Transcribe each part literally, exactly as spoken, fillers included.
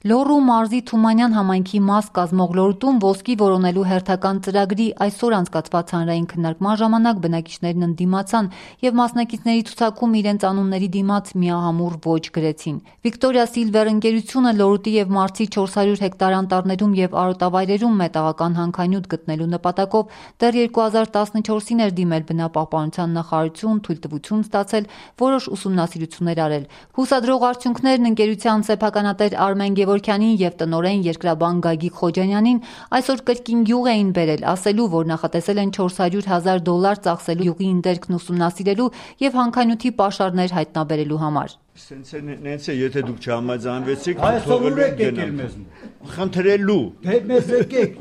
Լոռու մարզի Թումանյան համայնքի մաս կազմող Լոռուտում ոսկի որոնելու հերթական ծրագրի այսօր անցկացված հանրային քննարկման ժամանակ բնակիչներն ընդդիմացան եւ մասնակիցների ցուցակում իրենց անունների դիմաց միահամուռ ոչ գրեցին։ Վիկտորիա Սիլվեր ընկերությունը Լոռուտի եւ Մարցի չորս հարյուր հեկտար անտառներում եւ արոտավայրերում մետաղական հանքանյութ գտնելու նպատակով դեռ երկու հազար տասնչորսին էր դիմել բնապահպանության նախարարություն թույլտվություն ստացել որոշ ուսումնասիրություններ արել։ Հուսադրող արդյունքներն ընկերության սեփականատեր Արմեն Գևորգյանին եւ տնօրեն երկրաբան Գագիկ Խոջանյանին այսօր կրկին յուղ էին բերել, ասելու, որ նախատեսել են չորս հարյուր հազար դոլար ծախսելու յուղի ընդերքն ուսումնասիրելու եւ հանքանյութի պաշարներ հայտնաբերելու համար։ Սենց է նենց է, եթե դուք չհամաձայնվեցիք, թողելու եք եկել մեզ։ Խնդրելու։ Դե մեզ եկեք,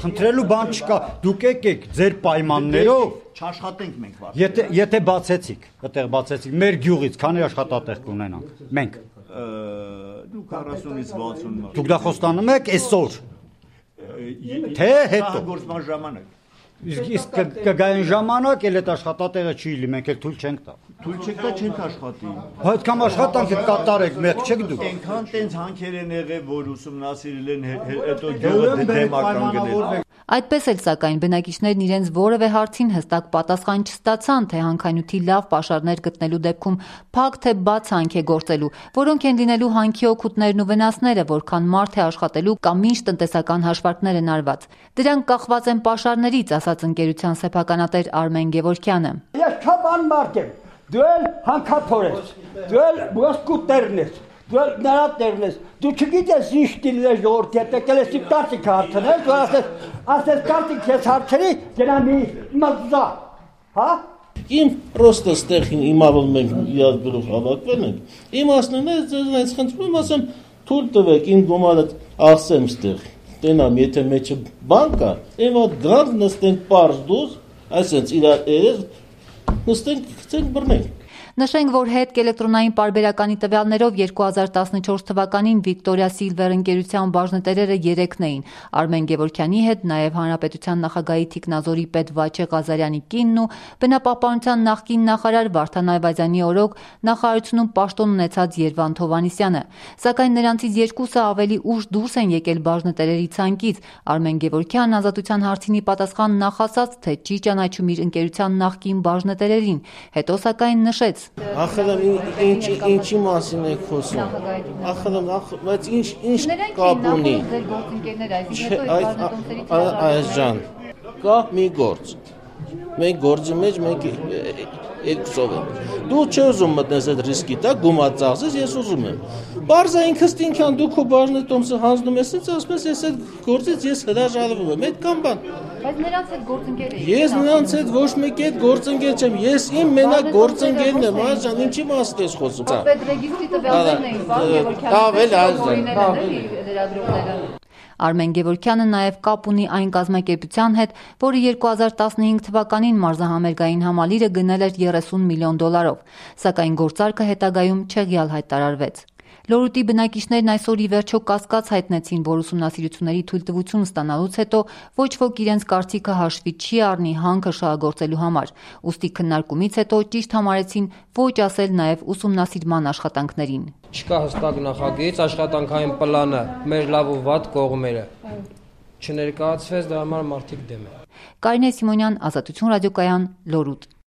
խնդրելու բան չկա։ Դուք եկեք ձեր պայմաններով չաշխատենք մենք վար։ Եթե եթե բացեցիք, այդտեղ բացեցիք մեր գյուղից, քանի աշխատատեղ կունենանք։ Մենք դուք քառասունից վաթսուն մարդ։ Դուք դա խոստանում եք այսօր։ Թե հետո գործման ժամանակ։ Իսկ կգային ժամանակ էլ այդ աշխատատեղը չի լի, մենք էլ թույլ չենք տա։ Թույլ չեք տա, չենք աշխատի։ Այդ կամ աշխատանքը կատարեք, մեկ չեք դուք։ Այնքան տենց հանքեր են եղել, որ ուսումնասիրել են, հետո գյուղը դեմական գնել։ Այդպես էլ սակայն բնակիչներն իրենց որևէ հարցին հստակ պատասխան չստացան, թե հանքանյութի լավ պաշարներ գտնելու դեպքում փակ թե բաց հանք է գործելու, որոնք են լինելու հանքի օգուտներն ու վնասները, որքան մարդ է աշխատելու կամ ինչ տնտեսական հաշվարկներ են արված։ Դրանք կախված են պաշարներից, ասաց ընկերության սեփականատեր Արմեն Գևորգյանը։ Ես չափան մարդ եմ, դու էլ հանքաթոր ես, դու էլ ոսկու տերն ես, դու էլ նրա տերն ես, դու չգիտես ինչ դիլը ժողովրդի հետ եկել ես իմ կարծիք հարցնել, դու ասես, ասես կարծիք ես հարցրի, դրա մի մզա, հա? Իմ պրոստը ստեղ իմավում ենք իրար գրող հավաքվել ենք, իմ ասնում է, ձեզ խնդրում ասեմ, թույլ տվեք, իմ գումարը ասեմ ստեղ, տենամ, եթե մեջը բան կա, իմ այդ գրանք նստենք պարզ դուզ, այսենց իրար երես, նստենք, կծենք բրնենք։ Նշենք, որ հետք էլեկտրոնային պարբերականի տվյալներով երկու հազար տասնչորս թվականին Վիկտորիա Սիլվեր ընկերության բաժնետերերը երեքն էին։ Արմեն Գևորգյանի հետ նաև Հանրապետության նախագահի թիկնազորի պետ Վաչե Ղազարյանի կինն ու բնապահպանության նախկին նախարար Վարդան Այվազյանի օրոք նախարարությունում պաշտոն ունեցած Երվանդ Հովհաննիսյանը։ Սակայն նրանցից երկուսը ավելի ուշ դուրս են եկել բաժնետերերի ցանկից։ Արմեն Գևորգյանն ազատության հարցինի պատասխան նախասած, թե չի ճանաչում իր ընկերության նախկին բաժնետերերին, հետո սակայն նշեց. Ախր ինչ ինչի մասին եք խոսում։ Ախր բայց ինչ ինչ կապ ունի։ Այս ջան, կա մի գործ։ Մենք գործի մեջ մենք երկուսով ենք։ Դու չես ուզում մտնես այդ ռիսկի տակ, գումար ծախսես, ես ուզում եմ։ Բարձա ինքս ինքան դու քո բաժնետոմսը հանձնում ես, ինձ ասում ես, ես այդ գործից ես հրաժարվում եմ։ Այդ կամ բան։ Բայց նրանց հետ գործընկեր եք։ Ես նրանց հետ ոչ մեկի հետ գործընկեր չեմ։ Ես իմ մենակ գործընկերն եմ, այժմ ինչի մասն ես խոսում։ Պետրեգիստրի տվյալներն էին, բան Գևորգյանը։ Արմեն Գևորգյանը նաև կապ ունի այն կազմակերպության հետ, որը երկու հազար տասնհինգ թվականին մարզահամերգային համալիրը գնել էր երեսուն միլիոն դոլարով, սակայն գործարքը հետագայում չեղյալ հայտարարվեց։ Լոռուտի բնակիչներն այսօր ի վերջո կասկած հայտնեցին, որ ուսումնասիրությունների թույլտվություն ստանալուց հետո ոչ ոք իրենց կարծիքը հաշվի չի առնի հանքը շահագործելու համար, ուստի քննարկումից հետո ճիշտ համարեցին ոչ ասել նաև ուսումնասիրման աշխատանքներին։ Չկա հստակ նախագիծ, աշխատանքային պլանը, մեր լավ ու վատ կողմերը չներկայացվեց, դրա համար մարդիկ դեմ են։ Կարինե Սիմոնյան, Ազատություն ռադիոկայան, Լոռուտ։